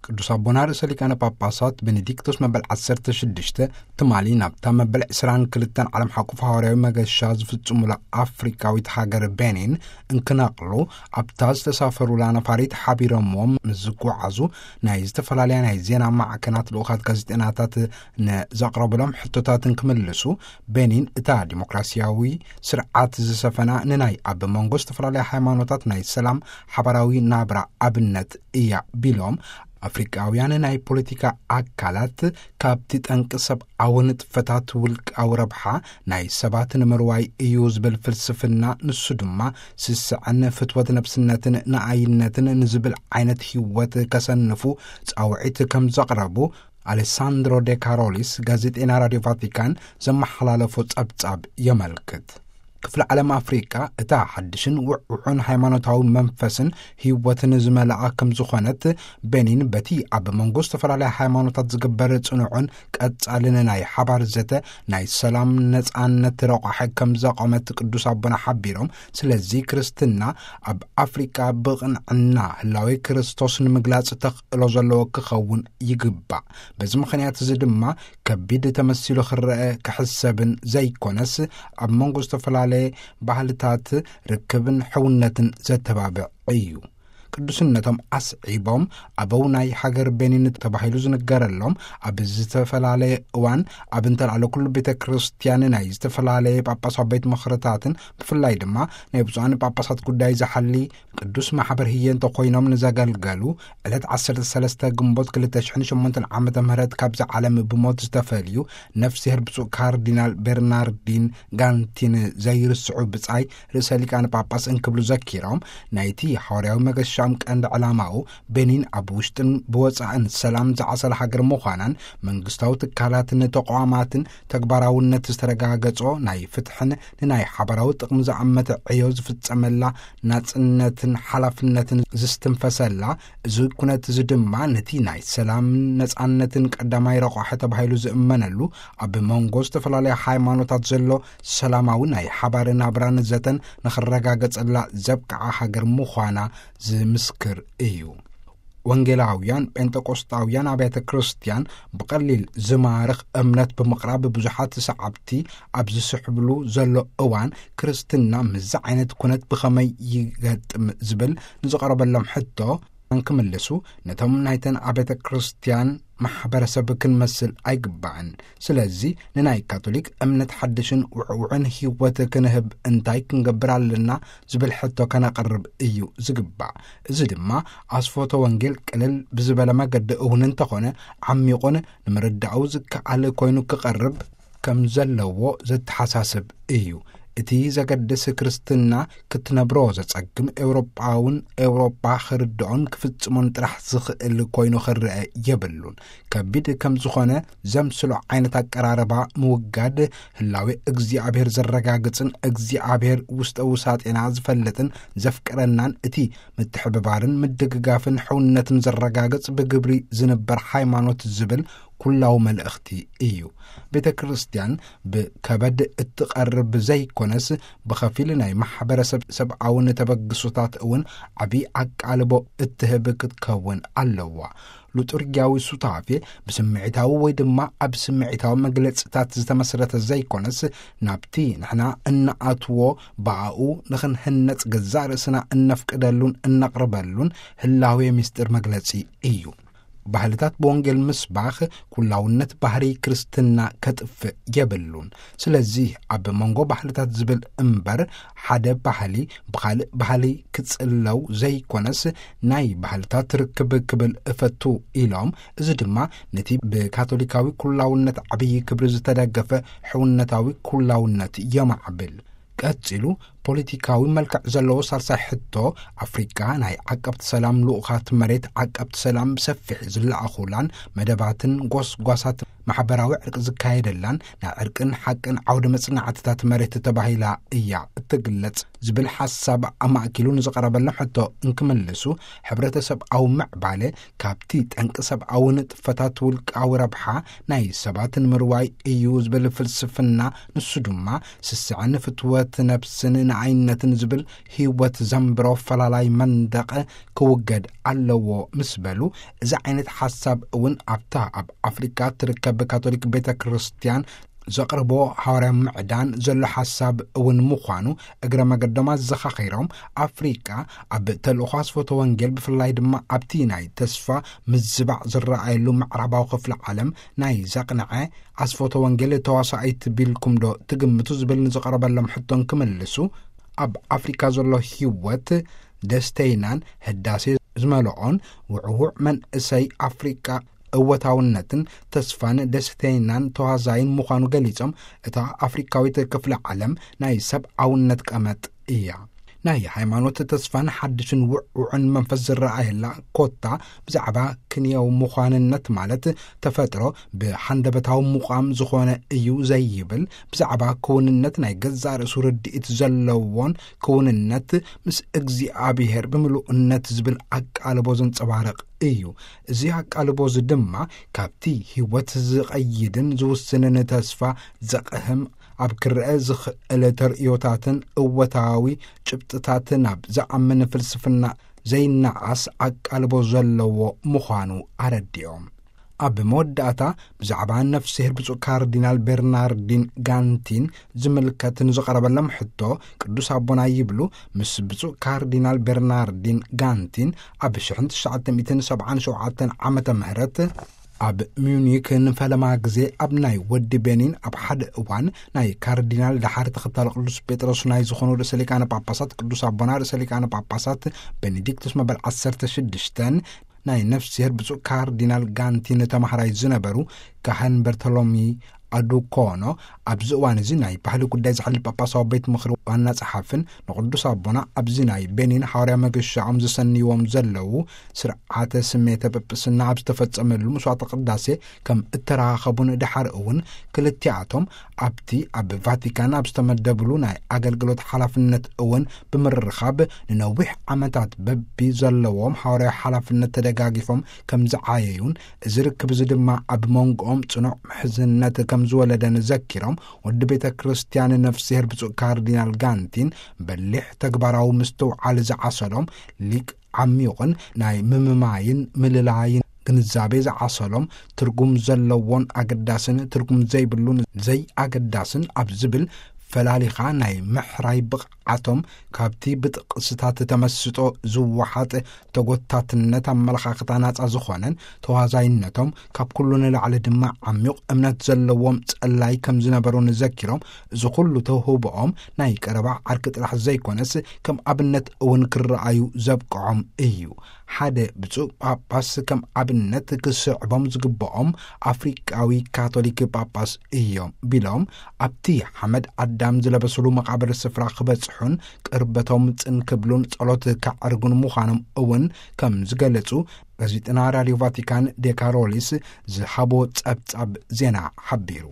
ቅዱስ ኣቦና ርእሰ ሊቃነ ጳጳሳት ቤኔዲክቶስ መበል ዓሰርተ ሽዱሽተ ትማሊ ናብታ መበል ዕስራን ክልተን ዓለም ሓቁፍ ሃዋርያዊ መገሻ ዝፍጽሙላ ኣፍሪካዊት ሃገር ቤኒን እንክነቕሉ፣ ኣብታ ዝተሳፈሩላ ነፋሪት ሓቢሮምዎም ምስ ዝጓዓዙ፣ ናይ ዝተፈላለያ ናይ ዜና ማዕከናት ልኡኻት ጋዜጠናታት ንዘቕረቡሎም ሕቶታት እንክምልሱ፣ ቤኒን እታ ዲሞክራሲያዊ ስርዓት ዝሰፈና፣ ንናይ ኣብ መንጎ ዝተፈላለያ ሃይማኖታት ናይ ሰላም ሓባራዊ ናብራ ኣብነት እያ ቢሎም፣ ኣፍሪቃውያን ናይ ፖለቲካ ኣካላት ካብቲ ጠንቂ ሰብኣዊ ንጥፈታት ውልቃዊ ረብሓ ናይ ሰባት ንምርዋይ እዩ ዝብል ፍልስፍና፣ ንሱ ድማ ስስዐን ፍትወት ነብስነትን ንኣይነትን ንዝብል ዓይነት ህይወት ከሰንፉ ጻውዒት ከም ዘቕረቡ ኣሌሳንድሮ ዴ ካሮሊስ፣ ጋዜጠና ራድዮ ቫቲካን፣ ዘመሓላለፎ ጸብጻብ የመልክት። ክፍለ ዓለም ኣፍሪቃ እታ ሓድሽን ውዕውዑን ሃይማኖታዊ መንፈስን ህይወትን ዝመልኣ ከም ዝኾነት፣ ቤኒን በቲ ኣብ መንጎ ዝተፈላለያ ሃይማኖታት ዝግበር ጽኑዕን ቀጻልን ናይ ሓባር ዘተ ናይ ሰላም ነጻነት ረቋሒ ከም ዘቆመት ቅዱስ ኣቦና ሓቢሮም፣ ስለዚ ክርስትና ኣብ ኣፍሪቃ ብቕንዕና ህላዌ ክርስቶስ ንምግላጽ ተኽእሎ ዘለዎ ክኸውን ይግባእ። በዚ ምኽንያት እዚ ድማ ከቢድ ተመሲሉ ክረአ ክሕሰብን ዘይኮነስ፣ ኣብ መንጎ ዝተፈላለየ ባህልታት ርክብን ሕውነትን ዘተባብዕ እዩ። ቅዱስነቶም ኣስዒቦም፣ ኣበው ናይ ሃገር ቤኒን ተባሂሉ ዝንገረሎም፣ ኣብ ዝተፈላለየ እዋን ኣብ እንተልዓለ ኩሉ ቤተ ክርስቲያን ናይ ዝተፈላለየ ጳጳሳዊ ቤት ምኽርታትን ብፍላይ ድማ ናይ ብፁዓን ጳጳሳት ጉዳይ ዝሓሊ ቅዱስ ማሕበር ህየ እንተኾይኖም ንዘገልገሉ፣ ዕለት ዓሰርተ ሰለስተ ግንቦት ክልተ ሽሕን ሸሞንተን ዓመተ ምህረት ካብዚ ዓለም ብሞት ዝተፈልዩ ነፍስሄር ብፁዕ ካርዲናል ቤርናርዲን ጋንቲን ዘይርስዑ ብጻይ ርእሰ ሊቃነ ጳጳስ እንክብሉ ዘኪሮም፣ ናይቲ ሓዋርያዊ መገሻም ቀንዲ ዕላማኡ ቤኒን ኣብ ውሽጥን ብወጻእን ሰላም ዝዓሰለ ሃገር ምዃናን፣ መንግስታዊ ትካላትን ተቋማትን ተግባራውነት ዝተረጋገጾ ናይ ፍትሕን ንናይ ሓባራዊ ጥቕሚ ዝኣመተ ዕዮ ዝፍጸመላ ናጽነትን ሓላፍነትን ዝስትንፈሰላ፣ እዚ ኩነት እዚ ድማ ነቲ ናይ ሰላምን ነጻነትን ቀዳማይ ረቋሒ ተባሂሉ ዝእመነሉ፣ ኣብ መንጎ ዝተፈላለያ ሃይማኖታት ዘሎ ሰላማዊ ናይ ሓባር ናብራን ዘተን ንኽረጋገጸላ ዘብቅዓ ሃገር ምዃና ዝምስክር እዩ። ወንጌላውያን ጴንጠቆስጣውያን ኣብያተ ክርስቲያን ብቐሊል ዝማርኽ እምነት ብምቕራብ ብዙሓት ሰዓብቲ ኣብ ዝስሕብሉ ዘሎ እዋን፣ ክርስትና ምስዚ ዓይነት ኩነት ብኸመይ ይገጥም ዝብል ንዝቐረበሎም ሕቶ እንክምልሱ፣ ነቶም ናይተን ኣብያተ ክርስቲያን ማሕበረሰብ ክንመስል ኣይግባእን። ስለዚ ንናይ ካቶሊክ እምነት ሓድሽን ውዕውዕን ህይወት ክንህብ እንታይ ክንገብር ኣለና ዝብል ሕቶ ከነቕርብ እዩ ዝግባእ። እዚ ድማ ኣስፎቶ ወንጌል ቅልል ብዝበለ መገዲ እውን እንተኾነ ዓሚቑን ንምርዳኡ ዝከኣል ኮይኑ ክቐርብ ከም ዘለዎ ዘተሓሳስብ እዩ። እቲ ዘገድስ ክርስትና ክትነብሮ ዘጸግም ኤውሮጳውን ኤውሮጳ ክርድኦን ክፍጽሞን ጥራሕ ዝኽእል ኮይኑ ክረአ የብሉን። ከቢድ ከም ዝኾነ ዘምስሎ ዓይነት ኣቀራርባ ምውጋድ ህላዌ እግዚኣብሔር ዘረጋግጽን እግዚኣብሔር ውስጠ ውሳጤና ዝፈልጥን ዘፍቅረናን እቲ ምትሕብባርን ምድግጋፍን ሕውነትን ዘረጋግጽ ብግብሪ ዝንበር ሃይማኖት ዝብል ኩላዊ መልእኽቲ እዩ። ቤተ ክርስቲያን ብከበድ እትቐርብ ዘይኮነስ ብኸፊል ናይ ማሕበረሰብ ሰብኣውን ተበግሶታት እውን ዓቢ ኣቃልቦ እትህብ ክትከውን ኣለዋ። ሉጥርጊያዊ ሱታፌ ብስምዒታዊ ወይ ድማ ኣብ ስምዒታዊ መግለጽታት ዝተመስረተ ዘይኮነስ፣ ናብቲ ንሕና እንኣትዎ ብኣኡ ንኽንህነጽ ገዛእ ርእስና እነፍቅደሉን እነቕርበሉን ህላዌ ምስጢር መግለጺ እዩ። ባህልታት ብወንጌል ምስባኽ ኩላውነት ባህሪ ክርስትና ከጥፍእ የብሉን። ስለዚ ኣብ መንጎ ባህልታት ዝብል እምበር ሓደ ባህሊ ብኻልእ ባህሊ ክጽለው ዘይኮነስ ናይ ባህልታት ርክብ ክብል እፈቱ ኢሎም። እዚ ድማ ነቲ ብካቶሊካዊ ኩላውነት ዓብዪ ክብሪ ዝተደገፈ ሕውነታዊ ኩላውነት የማዕብል። ቀጺሉ ፖለቲካዊ መልክዕ ዘለዎ ሳልሳይ ሕቶ፣ ኣፍሪቃ ናይ ዓቀብቲ ሰላም ልኡኻት መሬት ዓቀብቲ ሰላም ብሰፊሕ ዝለኣኹላን መደባትን ጎስጓሳት ማሕበራዊ ዕርቂ ዝካየደላን ናይ ዕርቅን ሓቅን ዓውደ መጽናዕትታት መሬት ተባሂላ እያ እትግለጽ ዝብል ሓሳብ ኣማእኪሉ ንዝቐረበሎም ሕቶ እንክምልሱ፣ ሕብረተሰብኣዊ ምዕባለ ካብቲ ጠንቂ ሰብኣዊ ንጥፈታት ውልቃዊ ረብሓ ናይ ሰባት ንምርዋይ እዩ ዝብል ፍልስፍና፣ ንሱ ድማ ስስዐን ፍትወት ነብስን ኣይነትን ዝብል ህይወት ዘንብሮ ፈላላይ መንደቕ ክውገድ ኣለዎ ምስ በሉ፣ እዚ ዓይነት ሓሳብ እውን ኣብታ ኣብ ኣፍሪካ ትርከብ ካቶሊክ ቤተ ክርስቲያን ዘቕርቦ ሃዋርያ ምዕዳን ዘሎ ሓሳብ እውን ምዃኑ እግረ መገዶም ኣዘኻኺሮም፣ ኣፍሪቃ ኣብ ተልእኾ ኣስፈቶ ወንጌል፣ ብፍላይ ድማ ኣብቲ ናይ ተስፋ ምዝባዕ ዝረኣየሉ ምዕራባዊ ክፍሊ ዓለም፣ ናይ ዘቕንዐ ኣስፈቶ ወንጌል ተዋሳኢት ቢልኩም ዶ ትግምቱ ዝብል ንዝቐረበሎም ሕቶን ክምልሱ፣ ኣብ ኣፍሪካ ዘሎ ህይወት ደስተይናን ህዳሴ ዝመልኦን ውዕውዕ መንእሰይ ኣፍሪቃ እወታውነትን ተስፋን ደስተይናን ተዋዛይን ምዃኑ ገሊጾም፣ እታ ኣፍሪካዊት ክፍለ ዓለም ናይ ሰብኣውነት ቀመጥ እያ። ናይ ሃይማኖት ተስፋን ሓድሽን ውዕውዕን መንፈስ ዝረኣየላ፣ ኮታ ብዛዕባ ክንየው ምዃንነት ማለት ተፈጥሮ ብሓንደበታዊ ምቋም ዝኾነ እዩ ዘይብል፣ ብዛዕባ ክውንነት ናይ ገዛእ ርእሱ ርድኢት ዘለዎን ክውንነት ምስ እግዚኣብሔር ብምሉእነት ዝብል ኣቃልቦ ዘንጸባርቕ እዩ። እዚ ኣቃልቦ እዚ ድማ ካብቲ ህይወት ዝቐይድን ዝውስንን ተስፋ ዘቕህም፣ ኣብ ክረአ ዝኽእል ተርእዮታትን እወታዊ ጭብጥታትን ኣብ ዝኣምን ፍልስፍና ዘይነዓስ ኣቃልቦ ዘለዎ ምዃኑ ኣረዲኦም። ኣብ መወዳእታ ብዛዕባ ነፍስሄር ብፁዕ ካርዲናል ቤርናርዲን ጋንቲን ዝምልከት ንዝቐረበሎም ሕቶ፣ ቅዱስ ኣቦና ይብሉ፣ ምስ ብፁዕ ካርዲናል ቤርናርዲን ጋንቲን ኣብ ሽሕን ትሽዓተ ሚእትን ሰብዓን ሸውዓተን ዓመተ ምህረት ኣብ ሚዩኒክ ንፈለማ ግዜ ኣብ ናይ ወዲ ቤኒን፣ ኣብ ሓደ እዋን ናይ ካርዲናል ደሓር ተኸታሊ ቅዱስ ጴጥሮስ ናይ ዝኾኑ ርእሰ ሊቃነ ጳጳሳት ቅዱስ ኣቦና ርእሰ ሊቃነ ጳጳሳት ቤኔዲክቱስ መበል ዓሰርተ ሽዱሽተን ናይ ነፍስሄር ብፁዕ ካርዲናል ጋንቲን ተማሃራይ ዝነበሩ ካህን በርቶሎሚ ኣዱኮኖ፣ ኣብዚ እዋን እዚ ናይ ባህሊ ጉዳይ ዝሕል ጳጳሳዊ ቤት ምኽሪ ዋና ጸሓፍን ንቅዱስ ኣቦና ኣብዚ ናይ ቤኒን ሓዋርያ መገሻኦም ዝሰንይዎም ዘለዉ ስርዓተ ስሜተ ጵጵስና ኣብ ዝተፈጸመሉ መስዋዕተ ቅዳሴ ከም እተራኸቡን ድሓር እውን ክልቲኣቶም ኣብቲ ኣብ ቫቲካን ኣብ ዝተመደብሉ ናይ ኣገልግሎት ሓላፍነት እውን ብምርኻብ ንነዊሕ ዓመታት በቢ ዘለዎም ሓዋርያዊ ሓላፍነት ተደጋጊፎም ከም ዝዓየዩን፣ እዚ ርክብ እዚ ድማ ኣብ መንጎኦም ጽኑዕ ምሕዝነት ከም ዝወለደን ዘኪሮም፣ ወዲ ቤተ ክርስቲያን ነፍስሄር ብፁዕ ካርዲናል ጋንቲን በሊሕ ተግባራዊ ምስትውዓል ዝዓሰሎም ሊቅ፣ ዓሚቑን ናይ ምምማይን ምልላይን ግንዛቤ ዝዓሰሎም፣ ትርጉም ዘለዎን ኣገዳስን ትርጉም ዘይብሉን ዘይኣገዳስን ኣብ ዝብል ፈላሊኻ ናይ ምሕራይ ብቕዓቶም፣ ካብቲ ብጥቕስታት ተመስጦ ዝወሓጥ ተጎታትነት ኣመለኻኽታ ናጻ ዝኾነን ተዋዛይነቶም፣ ካብ ኩሉ ንላዕሊ ድማ ዓሚቕ እምነት ዘለዎም ጸላይ ከም ዝነበሩን ዘኪሮም፣ እዚ ኩሉ ተውህቦኦም ናይ ቀረባ ዓርኪ ጥራሕ ዘይኮነስ፣ ከም ኣብነት እውን ክረኣዩ ዘብቅዖም እዩ። ሓደ ብፁዕ ጳጳስ ከም ኣብነት ክስዕቦም ዝግብኦም ኣፍሪቃዊ ካቶሊክ ጳጳስ እዮም ቢሎም፣ ኣብቲ ሓመድ ኣዳም ዝለበስሉ መቓብር ስፍራ ክበጽሑን ቅርበቶም ጽን ክብሉን ጸሎት ከዕርጉን ምዃኖም እውን ከም ዝገለጹ ጋዜጠና ራድዮ ቫቲካን ዴካሮሊስ ዝሃቦ ጸብጻብ ዜና ሓቢሩ።